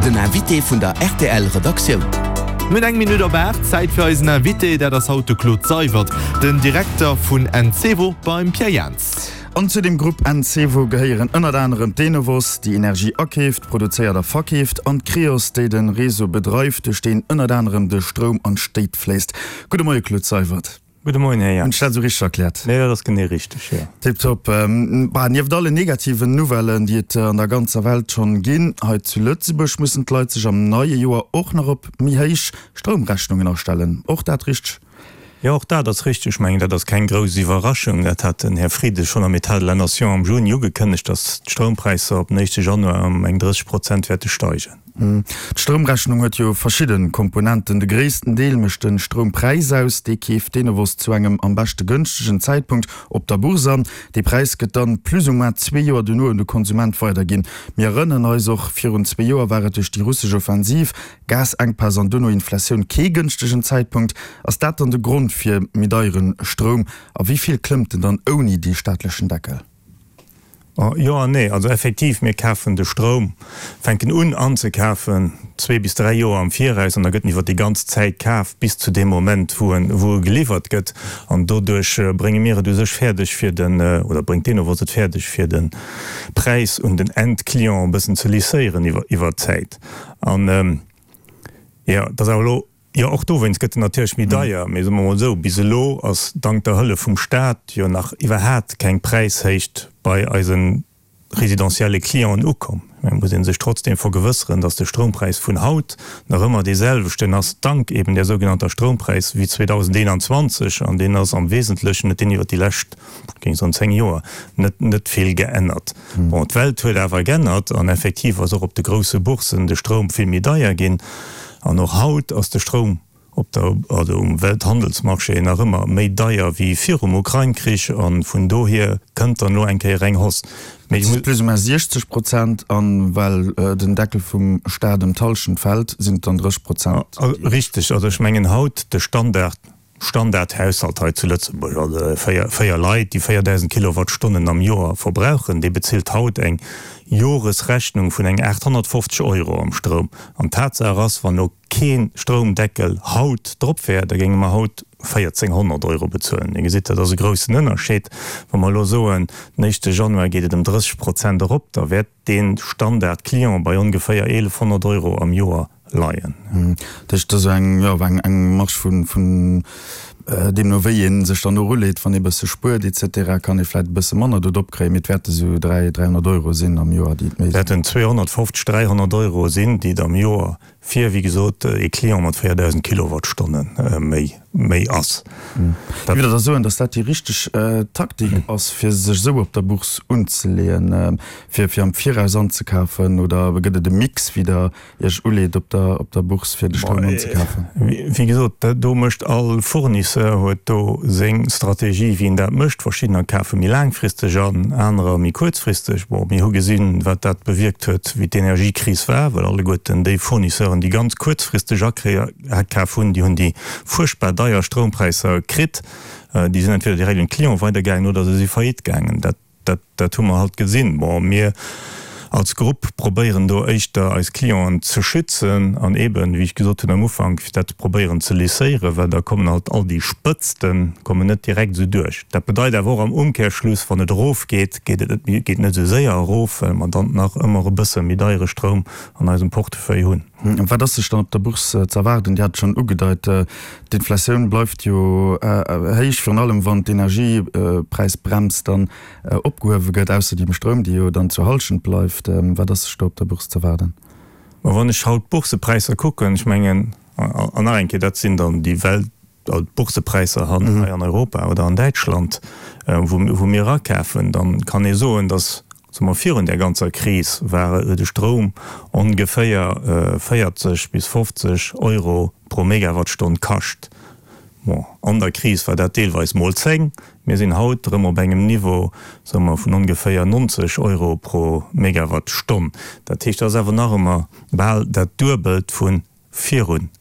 Den Invité vun der rtl Redaktioun. Mir hunn eng Minutt op 8, Zäit fir eisen Invité. Dat ass haut de Claude Seywert, den Direkter vun Encevo beim Pierre Jans. An zu dem Grupp Encevo gehéieren ënnert anerem d'Enovos, déi Energie akeeft, produzéiert a verkeeft, an d'Creos, déi de Réseau bedreift, duerch deen ënnert anerem de Stroum an d'Stéit fléisst. Gudde Moie Claude Seywert. Gudde Moien, Här Jans. Hunn ech dat esou richteg erkläert? Nee, dat ass genee richteg, jo. Tiptop. Bah, nieft allen negativen Nouvellen, déi et an der ganzer Welt schonn ginn, hei zu Lëtzebuerg mussen d'Leit sech am neie Joer och nach op méi héich Stroumrechnungen astellen. Och dat richteg? Jo, och dat ass richteg. Ech mengen, dat ass keng grouss Iwwerraschung. Dat hat den Här Frieden schonn am État de la Nation am Juni ugekënnegt, datt d'Stroumpräisser op den éischte Januar ëm eng 30 Prozent wäerte steigen. D'Stroumrechnung huet jo verschidde Komponenten. De gréissten Deel mécht de Stroumpräis aus. Dee keeft d'Enovos zu engem am beschte gënschtegen Zäitpunkt op der Bourse an. Dee Präis gëtt dann plus ou moins zwee Joer duerno un de Konsument weiderginn. Mir erënneren eis, och virun zwee Joer war et duerch déi russesch Offensiv, Gasenkpäss an duerno Inflatioun kee gënschtegen Zäitpunkt. Ass dat dann de Grond fir méi deiere Stroum? A wéi vill klëmmt en dann ouni dee staatlechen Deckel? Jo an nee. Also effektiv, mir kafen de Stroum, fänken un anzekafen zwee bis dräi Joer am Viraus an da gëtt en iwwer déi ganz Zäit kaf bis zu deem Moment, wou en, wou e geliwwert gëtt. An doduerch brénge mir et u sech fäerdeg fir den, oder bréngt d'Enovos et fäerdeg fir de Präis un den Endclient e bëssen ze lisséieren iwwer, iwwer d'Zäit. An jo, et ass awer elo Jo, och dowéinst gëtt en natierlech méi deier. Mee soe mer mol esou, bis elo ass dank der Hëllef vum Staat jo nach iwwerhaat keng Präishéicht bei eise residentielle Clienten ukomm. Et muss ee sech trotzdeem vergewësseren, datt de Stroumpräis vun haut nach ëmmer dee selwechten ass, dank eben där sougenannter Stroumpräis, wéi 2021. An deen ass am Wesentlechen, huet deen iwwer déi lescht, géing soen, 10 Joer net, net vill geännert. Bon, d'Welt huet awer geännert an effektiv ass och op de grousse Boursen de Stroum vill méi deier ginn. An och haut ass de Stroum op der, also um Welthandelsmarché nach ëmmer méi deier wéi virum Ukrain-Krich a vun dohier kënnt dann elo eng Kéier eng Hausse. Mee ech muss. Plus ou moins 60 Prozent, a well den Deckel vum Staat ëm d'Hallschent fält, sinn et dann 30 Prozent. Richteg, also ech mengen haut de Standard, Standardhaushalt hei zu Lëtzebuerg, also véier Leit, déi 4.000 Kilowattstonnen am Joer verbrauchen, dee bezilt haut eng Joresrechnung vun eng 850 Euro am Stroum. An Tatsaach ass, wann elo kee Stroumdeckel haut drop wär, da géinge mer haut 1.400 Euro bezuelen. Dir gesitt, dat ass e groussen Ënnerscheed. Wa mer elo soen, den éischte Januar geet et ëm 30 Prozent erop, da wäert dee Standard-Client bei ongeféier 1.100 Euro am Joer leien. Dat heescht, et ass eng, jo, eng, eng Marge vun, vun deemno wéi ee sech dann och uleet, wann ee bësse spuert et cetera, kann ee vläicht e bësse manner do drop kréien, mee et wäerte sou 3, 300 Euro sinn am Joer, déi et méi sinn. Wäerten 250, 300 Euro sinn, déi et am Joer fir, wéi gesot, ee Client mat 4.000 Kilowattstonne méi, méi ass. Géif Der da soen, datt dat déi richteg Taktik ass, fir sech esou op der Bourse unzeleeën, fir, fir am Viraus anzekafen, oder gëtt et e Mix, wéi Der Iech uleet op der op der Bourse fir de Stroum anzekafen? Wéi gesot, do mécht all Fournisseur huet do seng Strategie wéi en dat mécht. Verschiddener kafe méi laangfristeg an, anerer méi kuerzfristeg. Bon, mir hu gesinn, wat dat bewierkt huet, wéi d'Energiekris war, well alleguerten déi Fournisseuren, déi ganz kuerzfristeg akaf hunn, déi hunn déi fuerchtbar deier Stroumpräisser kritt. Déi sinn entweder direkt un d'Clienten weidergaangen oder se si faillite gaangen. Dat Dat, dat hu mer halt gesinn. Bon, mir als Grupp probéieren do éischter eis Clienten ze schützen an eeben, wéi ech gesot hunn am Ufank, fir dat probéieren ze lisséieren, well da kommen halt all déi Spëtzte kommen net direkt esou duerch. Dat bedeit awer och am Umkehrschluss, wann et erofgeet, geet et net méi, geet net esou séier erof, well mer dann nach ëmmer e bësse méi deiere Stroum an eisem Portefeuille hunn. Wat ass sech dann op der Bourse ze erwaarden? Dir hat et schonn ugedeit, d'Inflatioun bleift jo héich, virun allem wann d'Energiepräisbrems dann opgehuewe gëtt, ausser déi um Stroum, déi jo dann zur Hallschent bleift. Wat ass sech do op der Bourse ze erwaarden? Ma wann ech haut d'Boursepräisser kucken, ech mengen, an nach eng Kéier, dat sinn dann déi Welt, d'Boursepräisser hei an Europa oder an Däitschland, wou mir erakafen, da kann ee soen, datt, soe mer, virun där ganzer Kris war de Stroum ongeféier 40 bis 50 Euro pro Megawattstonn kascht. Bon, an der Kris war dat deelweis mol 10. Mir sinn haut erëm op engem Niveau, soe mer, vun ongeféier 90 Euro pro Megawattstonn. Dat heescht, dat ass awer nach ëmmer bal dat Duebelt vu virun,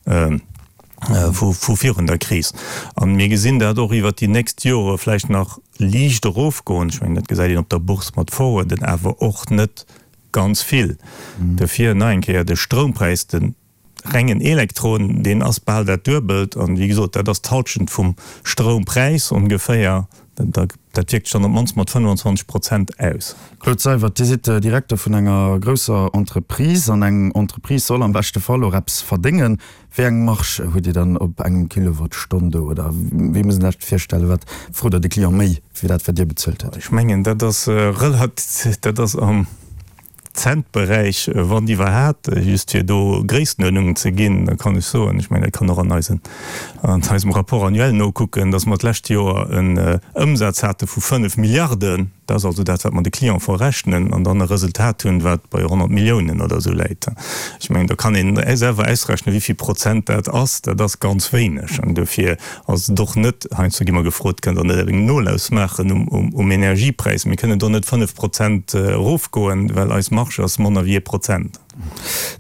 vu virun der Kris. A mir gesinn dat och iwwert déi nächst Jore vläicht nach liicht erofgoen. Ech mengen, dat gesäit een op der Bourse mat Forwarden, awer och net. Ganz vill. Dofir nach eng Kéier, de Stroumpräis, de rengen Elektron, deen ass bal dat Duebelt. An, wéi gesot, dat ass d'Halschent vum Stroumpräis ongeféier. Dat wierkt sech dann op d'mannst mat 25 Prozent aus. Claude Seywert, Dir sidd Direkter vun enger grousser Entreprise. An eng Entreprise soll am beschte Fall och eppes verdéngen. Wéi eng Marge hutt Dir dann op engem Kilowattstonn do? Oder wéi muss een sech dat virstellen? Wat frot der de Client méi wéi dat, wat Dir bezuelt hutt? Ech mengen, dat ass relativ, dat ass am Centberäich, wann iwwerhaat. Just fir do Gréisstenuerdnungen ze ginn, da kann ech soen, ech mengen, dat kann och an eisen, an eisem Rapport annuel nokucken, dass mer d'lescht Joer en Ëmsaz hate vu 5 Milliarden. Dat ass also dat, wat mer de Client verrechnen an dann e Resultat hunn, wat bei 100 Milliounen oder esou läit. Ech mengen, do kann een selwer ausrechnen, wéi vill Prozent dat ass. Dat ass ganz wéineg. An dofir ass et och net, heiansdo gi mer gefrot, Kënnt Der net eng Nolauss maachen um Energiepräis? Mir kënnen do net 5 Prozent erofgoen, well eis Marge ass manner wéi ee Prozent.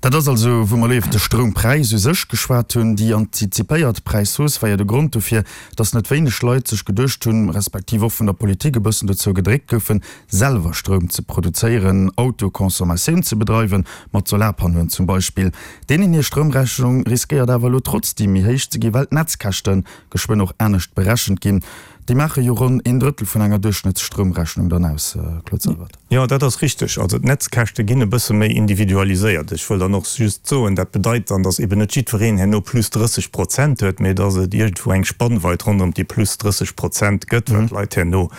Dat ass also, wou mer elo iwwer de Stroumpräis u sech geschwat hunn. Déi antizipéiert Präishausse war jo de Grond dofir, dass net wéineg Leit sech geduecht hunn, respektiv och vun der Politik e bëssen dozou gedréckt goufen, selwer Stroum ze produzéieren, Autoconsommatioun ze bedreiwen, mat Solarpannoen zum Beispill. Deenen hir Stroumrechnung riskéiert awer elo trotzdeem méi héich ze ginn, well d'Netzkäschte geschwënn och anescht berechent ginn. Déi maache jo ronn een Drëttel vun enger Duerchschnëttsstroumrechnung dann aus, Claude Seywert. Jo, dat ass richteg. Also d'Netzkäschte ginn e bësse méi individualiséiert. Ech wëll dann och just soen, dat bedeit dann, datt eben net jiddwereen herno plus 30 Prozent huet, mee datt et iergendwou eng Spannweit ronderëm déi plus 30 Prozent gëtt, wat d'Leit herno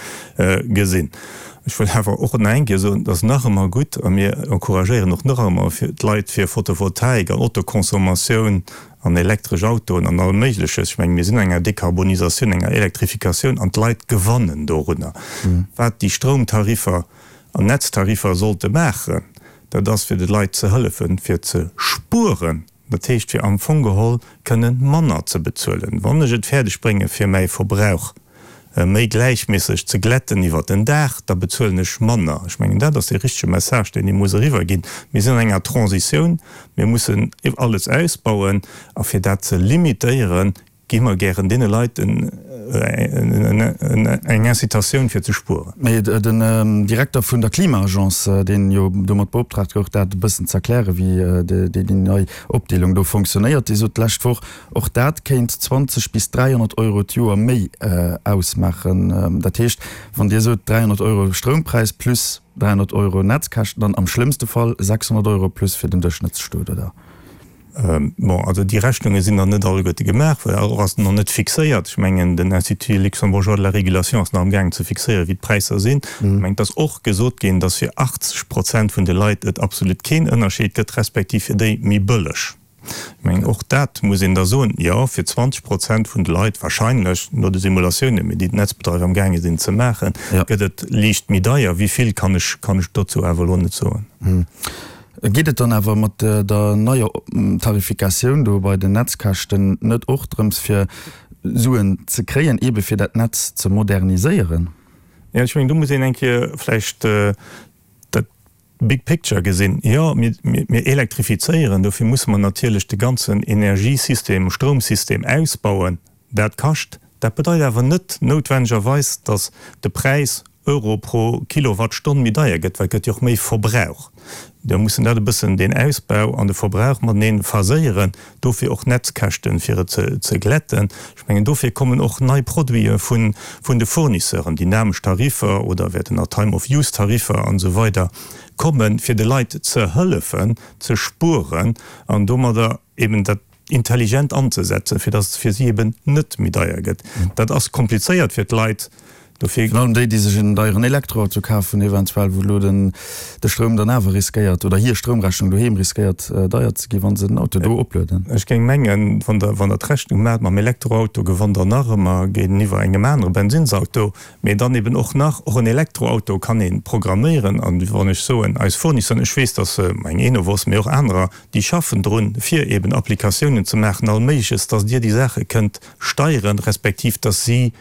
gesinn. Ech wëll awer och nach eng Kéier soen, et ass nach ëmmer gutt a mir encouragéieren och nach ëmmer d'Leit fir Photovoltaik an Autoconsommatioun an elektresch Autoen an allem Méigleches. Ech mengen, mir sinn an enger Dekarbonisatioun, enger Elektrifikatioun an d'Leit gewannen dorunner. Wat déi Stroumtariffer an Netztariffer sollte maachen, dat ass fir de Leit ze hëllefen, fir ze spueren, dat heescht fir am Fong geholl kënnen manner ze bezuelen. Wann ech et fäerdeg brénge fir mäi Verbrauch méi gläichméisseg ze glätten iwwer den Dag, da bezuelen ech manner. Ech mengen, dat ass dee richtege Message, deen ee muss eriwwerginn. Mir sinn an enger Transitioun, mir mussen alles ausbauen a fir dat ze limitéieren, gi mer gären deene Leit eng Incitatioun fir ze spueren. Mee den Direkter vun der Klima-Agence, deen jo domat beoptraagt gouf, dat e bëssen z'erklären, wéi déi nei Opdeelung do fonctionnéiert, dee sot d'lescht Woch, Och dat kéint 20 bis 300 Euro d'Joer méi ausmaachen. Dat heescht, wann Dir sot 300 Euro Stroumpräis plus 300 Euro Netzkäschten, dann am schlëmmste Fall 600 Euro plus fir den Duerchschnëttsstot, oder? Bon, also déi Rechnunge sinn nach net alleguerte gemaach, well och ass nach net fixéiert. Ech mengen, den Institut luxembourgeois de la régulation ass nach amgaangen ze fixéieren, wéi d'Präisser sinn. Ech mengen, et ass och gesot ginn, datt fir 80 Prozent vun de Leit et absolut keen Ënnerscheed gëtt, respektiv fir déi méi bëlleg. Ech mengen, och dat muss een da soen, Jo, fir 20 Prozent vun de Leit wahrscheinlech, no de Simulatiounen, mee déi d'Netzbedreiwer amgaange sinn ze maachen, gëtt et liicht méi deier. Wéi vill, kann ech, kann ech dozou awer elo net soen. Geet et dann awer mat der neier Tarifikatioun do bei den Netzkäschten net och drëms, fir Suen ze kréien, eebe fir dat Netz ze moderniséieren? Jo, ech mengen, do muss een eng Kéier vläicht dat Big picture gesinn, jo, mir elektrifizéieren, dofir musse mer natierlech de ganzen Energiesystem, Stroumsystem ausbauen. Dat kascht. Dat bedeit awer net noutwennegerweis, datt de Präis, Euro pro Kilowattstonn, méi deier gëtt, well et gëtt jo och méi Verbrauch. Da mussen dat e bëssen deen Ausbau an de Verbrauch matenee phaséieren. Dofir och Netzkäschten, fir et ze glätten. Ech mengen, dofir kommen och nei Produite vun de Fournisseuren, dynamesch Tariffer oder wäerten nach Time-of-Use-Tariffer an esou weider kommen, fir de Leit ze hëllefen, ze spueren an domadder eben dat intelligent anzesetzen, fir dass et fir si eben net méi deier gëtt. Dat ass komplizéiert fir d'Leit. Dofir. Virun allem déi, déi sech en deieren Elektroauto kafen eventuell, wou elo den de Stroum dann awer riskéiert, oder hir Stroumrechnung doheem riskéiert deier ze ginn, wa se den Auto do oplueden. Ech géing mengen, wann Der, wann Der d'Rechnung maacht mam Elektroauto, gewannt Der nach ëmmer géinteniwwer engem anere Bensinnsauto, mee dann eben och nach, och en Elektroauto kann ee programméieren. An wann ech soen, eis Fournisseuren, ech weess, dass eng Enovos, mee och anerer, déi schaffen drun, fir eben Applikatiounen ze maachen, all Méigleches, dass Dir déi Saache kënnt steieren, respektiv dass si,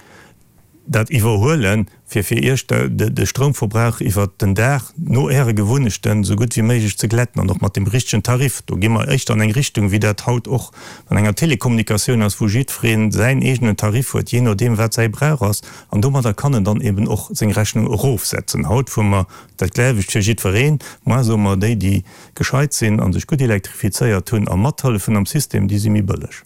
dat iwwerhuelen, fir fir Iech de Stroumverbrauch iwwert den Dag no Äre Gewunnechten esou gutt wéi méiglech ze glätten an och mat dem richtegen Tarif. Do gi mer éischter an eng Richtung, wéi dat haut och an enger Telekommunikatioun ass, wou jiddweree säin eegenen Tarif huet, jee nodeem wat säi Brauch ass. An domadder kann en dann eben och seng Rechnung erofsetzen. Haut fuere mer dat gläiwecht fir jiddwereen. Moar soe mer, déi, déi gescheit sinn a sech gutt elektrifizéiert hunn a mathëllefen am System, déi si méi bëlleg.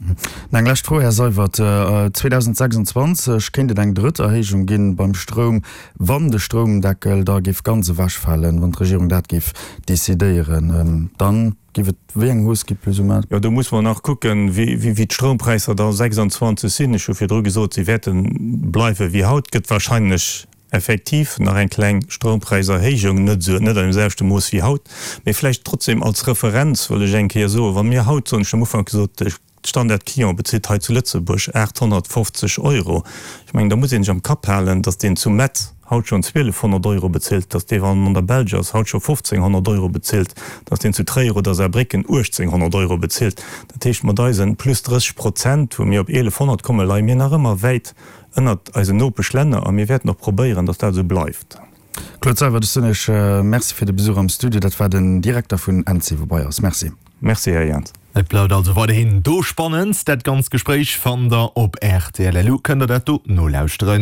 Eng lescht Fro, Här Seywert, 2026 kéint et eng drëtt Erhéijung ginn beim Stroum, wann de Stroumdeckel da géif ganz ewechfalen, wann d'Regierung dat géif decidéieren, dann géif et wéi eng Hausse gi plus ou moins? Jo, do musse mer nach kucken, wéi d'Stroumpräisser da 26 sinn. Ech hu virdru gesot, se wäerte bleiwe wéi haut. Gëtt wahrscheinlech Effektiv nach eng kleng Stroumpräiserhéijung, net esou, net an deem selwechte Mooss wéi haut, mee vläicht trotzdem als Referenz wëll ech eng Kéier soen, wa mir haut soen, ech hunn am Ufank gesot, de Standard-Client bezilt hei zu Lëtzebuerg 850 Euro, ech mengen, da muss ee sech am Kapp halen, datt deen zu Metz haut schonn 1.200 Euro bezilt, datt dee, wann en an der Belsch ass, haut scho 1.500 Euro bezilt, datt deen zu Tréier oder Saarbrécken 1.800 Euro bezilt. Dat heescht, mat eisen plus 30 Prozent, wou mir op 1.100 kommen, leie mir nach ëmmer wäit ënnert eisen Nopeschlänner a mir wäerten och probéieren, datt dat esou bleift. Claude Seywert, ech soen Iech Merci fir de Besuch am Studio. Dat war den Direkter vun Encevo bei eis. Merci. Merci, Här Jans. Et bleift also weiderhin do spannend. Dat ganzt Gespréich fannt der op rtl.lu, kënnt der dat do nolauschteren.